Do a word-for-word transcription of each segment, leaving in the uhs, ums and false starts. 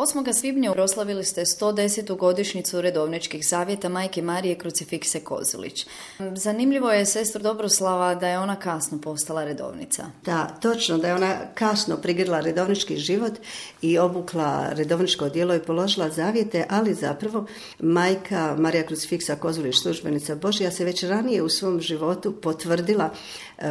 osmog svibnja proslavili ste sto desetu godišnjicu redovničkih zavjeta Majke Marije Krucifikse Kozilić. Zanimljivo je, sestro Dobroslava, da je ona kasno postala redovnica. Da, točno, da je ona kasno prigrla redovnički život i obukla redovničko odijelo i položila zavjete, ali zapravo Majka Marija Krucifiksa Kozilić, službenica Božja, se već ranije u svom životu potvrdila uh,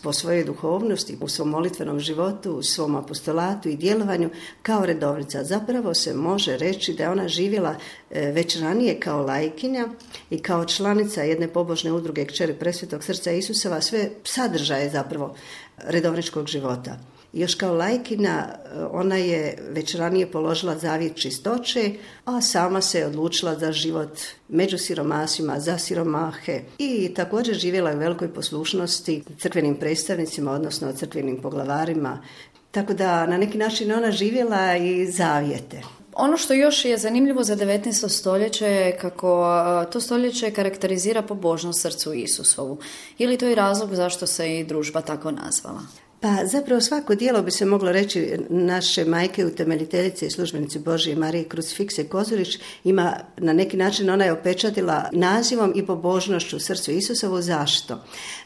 po svojoj duhovnosti, u svom molitvenom životu, u svom apostolatu i djelovanju kao redovnica. Zapravo se može reći da je ona živjela već ranije kao laikinja i kao članica jedne pobožne udruge Kćeri Presvetog srca Isusova, sve sadržaje zapravo redovničkog života. Još kao laikina ona je već ranije položila zavjet čistoće, a sama se odlučila za život među siromasima, za siromahe i također živjela u velikoj poslušnosti crkvenim predstavnicima, odnosno crkvenim poglavarima. Tako da na neki način ona živjela i zavjete. Ono što još je zanimljivo za devetnaesto stoljeće je kako to stoljeće karakterizira pobožnost srcu Isusovu. Je li to i razlog zašto se i družba tako nazvala? Pa zapravo svako djelo bi se moglo reći naše majke utemeljiteljice i službenice Božje Marije Krucifikse Kozilić ima na neki način, ona je opečatila nazivom i pobožnošću srcu Isusovu. Zašto?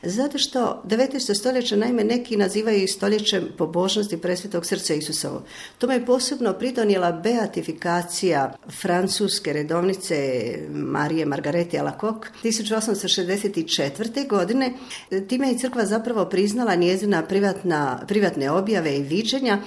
Zato što devetnaesto stoljeće naime neki nazivaju i stoljećem pobožnosti presvetog srca Isusovu. Tome je posebno pridonijela beatifikacija francuske redovnice Marije Margarete Alacoque tisuću osamsto šezdeset četvrte. godine. Time je crkva zapravo priznala njezina privatna na privatne objave i viđenja,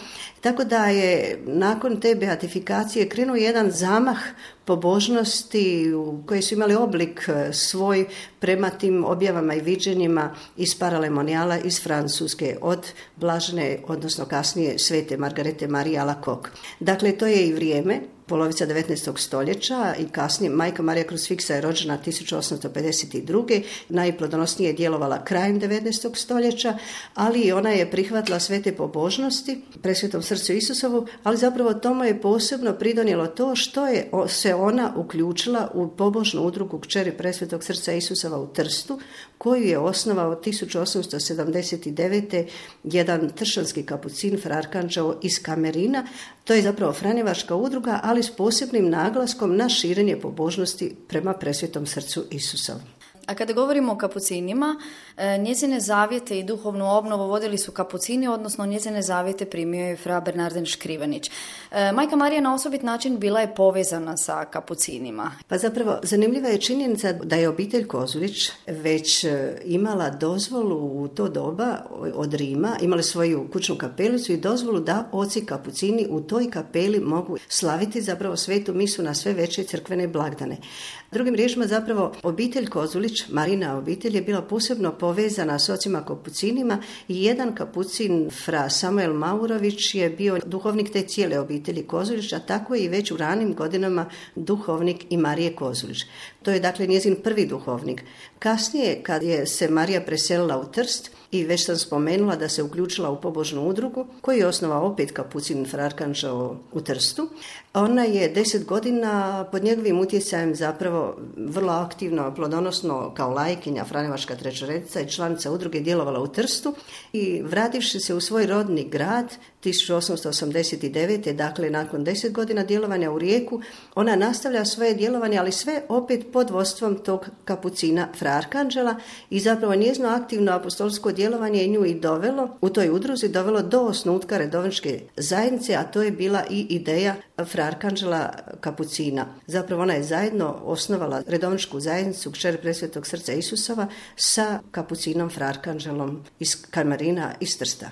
tako da je nakon te beatifikacije krenuo jedan zamah pobožnosti koji su imali oblik svoj prema tim objavama i viđenjima iz paralemoniala iz Francuske od blažene, odnosno kasnije svete Margarete Marije Alacoque. Dakle, to je i vrijeme, polovica devetnaestog stoljeća i kasnije Majka Marija Krucifiksa je rođena tisuću osamsto pedeset druge. Najplodonosnije je djelovala krajem devetnaestog stoljeća, ali ona je prihvatila sve te pobožnosti presvetom srcu Isusovu, ali zapravo tomu je posebno pridonijelo to što je se ona uključila u pobožnu udrugu Kćeri Presvetog srca Isusova u Trstu, koju je osnovao tisuću osamsto sedamdeset devete. jedan tršanski kapucin Frarkanđeo iz Kamerina. To je zapravo franjevačka udruga, ali s posebnim naglaskom na širenje pobožnosti prema presvetom srcu Isusovu. A kada govorimo o kapucinima, njezine zavjete i duhovnu obnovu vodili su kapucini, odnosno njezine zavjete primio je fra Bernarden Škrivanić. Majka Marija na osobit način bila je povezana sa kapucinima. Pa zapravo zanimljiva je činjenica da je obitelj Kozilić već imala dozvolu u to doba od Rima, imali svoju kućnu kapelicu i dozvolu da oci kapucini u toj kapeli mogu slaviti zapravo svetu misu na sve veće crkvene blagdane. Drugim riječima zapravo obitelj Kozilić, Marina obitelj, je bila posebno povezana s ocima kapucinima i jedan kapucin fra Samuel Maurović je bio duhovnik te cijele obitelji Kozilić, a tako je i već u ranim godinama duhovnik i Marije Kozilić. To je dakle njezin prvi duhovnik. Kasnije, kad je se Marija preselila u Trst i već sam spomenula da se uključila u pobožnu udrugu koju je osnovao opet kapucin Frarkanđeo u Trstu, ona je deset godina pod njegovim utjecajem zapravo vrlo aktivno, plodonosno kao laikinja, franjevačka trećoredica i članica udruge djelovala u Trstu i vrativši se u svoj rodni grad tisuću osamsto osamdeset devete. dakle nakon deset godina djelovanja u Rijeku, ona nastavlja svoje djelovanje, ali sve opet pod vodstvom tog kapucina Frarkanđela i zapravo njezino aktivno apostolsko djelovanje je nju i dovelo, u toj udruzi dovelo do osnutka redovničke zajednice, a to je bila i ideja Frarkanđela kapucina. Zapravo ona je zajedno osnovala redovničku zajednicu Kćeri Presvetog srca Isusova sa kapucinom Frarkanđelom iz Kamerina iz Trsta.